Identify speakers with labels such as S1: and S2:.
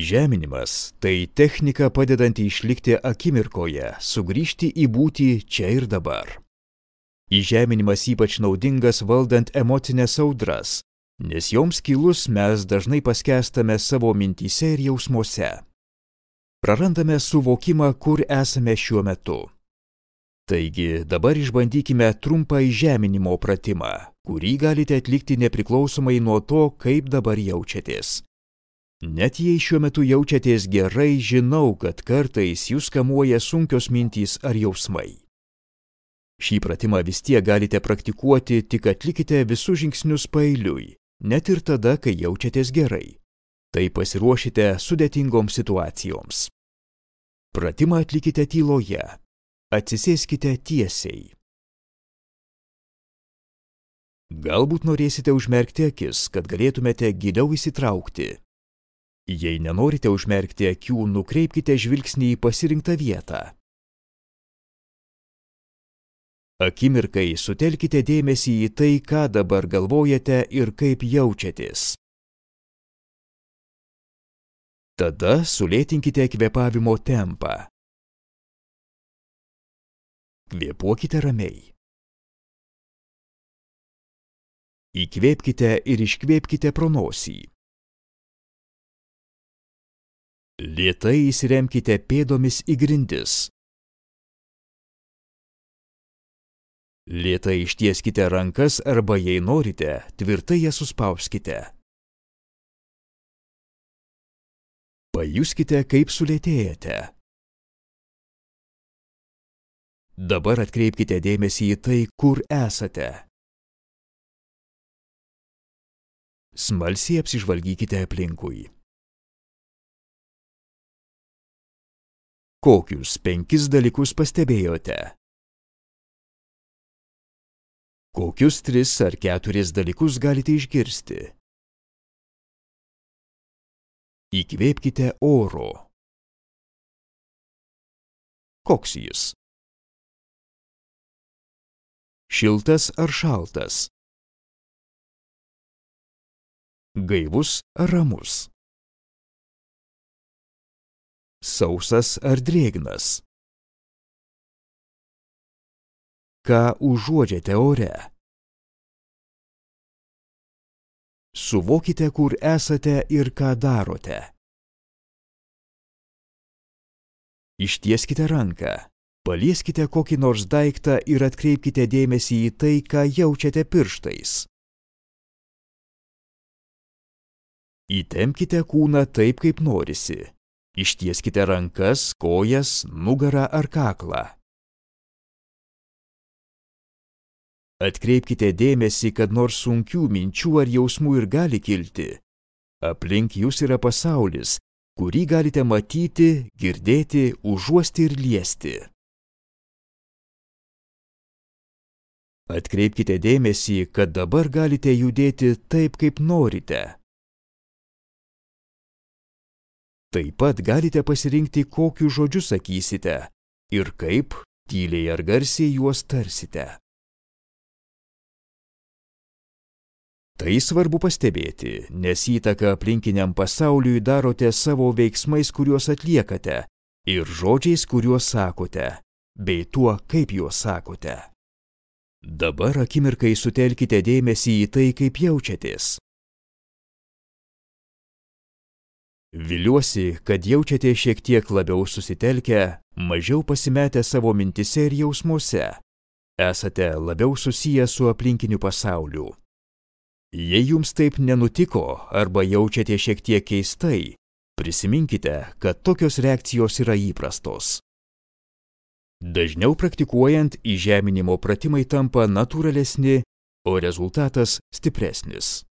S1: Įžeminimas – tai technika padedanti išlikti akimirkoje, sugrįžti į būtį čia ir dabar. Įžeminimas ypač naudingas valdant emocinės audras, nes joms kilus mes dažnai paskęstame savo mintyse ir jausmuose. Prarandame suvokimą, kur esame šiuo metu. Taigi dabar išbandykime trumpą įžeminimo pratimą, kurį galite atlikti nepriklausomai nuo to, kaip dabar jaučiatės. Net jei šiuo metu jaučiatės gerai, žinau, kad kartais jūs kamuoja sunkios mintys ar jausmai. Šį pratimą vis tiek galite praktikuoti, tik atlikite visus žingsnius paeiliui, net ir tada, kai jaučiatės gerai. Tai pasiruošite sudėtingoms situacijoms. Pratimą atlikite tyloje. Atsisėskite tiesiai. Galbūt norėsite užmerkti akis, kad galėtumėte giliau įsitraukti. Jei nenorite užmerkti akių, nukreipkite žvilgsnį į pasirinktą vietą. Akimirkai sutelkite dėmesį į tai, ką dabar galvojate ir kaip jaučiatės. Tada sulėtinkite kvėpavimo tempą. Kvėpuokite ramiai. Įkvėpkite ir iškvėpkite pro nosį. Lėtai įsiremkite pėdomis į grindis. Lėtai ištieskite rankas arba, jei norite, tvirtai jas suspauskite. Pajuskite, kaip sulėtėjate. Dabar atkreipkite dėmesį į tai, kur esate. Smalsiai apsižvalgykite aplinkui. Kokius 5 dalykus pastebėjote? Kokius 3 ar 4 dalykus galite išgirsti? Įkvėpkite oro. Koks jis? Šiltas ar šaltas? Gaivus ar ramus? Sausas ar drėgnas? Ką užuodžiate ore? Suvokite, kur esate ir ką darote. Ištieskite ranką, palieskite kokį nors daiktą ir atkreipkite dėmesį į tai, ką jaučiate pirštais. Įtempkite kūną taip, kaip norisi. Ištieskite rankas, kojas, nugarą ar kaklą. Atkreipkite dėmesį, kad nors sunkių minčių ar jausmų ir gali kilti, aplink jūs yra pasaulis, kurį galite matyti, girdėti, užuosti ir liesti. Atkreipkite dėmesį, kad dabar galite judėti taip, kaip norite. Taip pat galite pasirinkti, kokius žodžius sakysite ir kaip, tyliai ar garsiai juos tarsite. Tai svarbu pastebėti, nes įtaką aplinkiniam pasauliui darote savo veiksmais, kuriuos atliekate, ir žodžiais, kuriuos sakote, bei tuo, kaip juos sakote. Dabar akimirkai sutelkite dėmesį į tai, kaip jaučiatės. Viliuosi, kad jaučiate šiek tiek labiau susitelkę, mažiau pasimetę savo mintyse ir jausmuose. Esate labiau susiję su aplinkiniu pasauliu. Jei jums taip nenutiko arba jaučiate šiek tiek keistai, prisiminkite, kad tokios reakcijos yra įprastos. Dažniau praktikuojant, įžeminimo pratimai tampa natūralesni, o rezultatas stipresnis.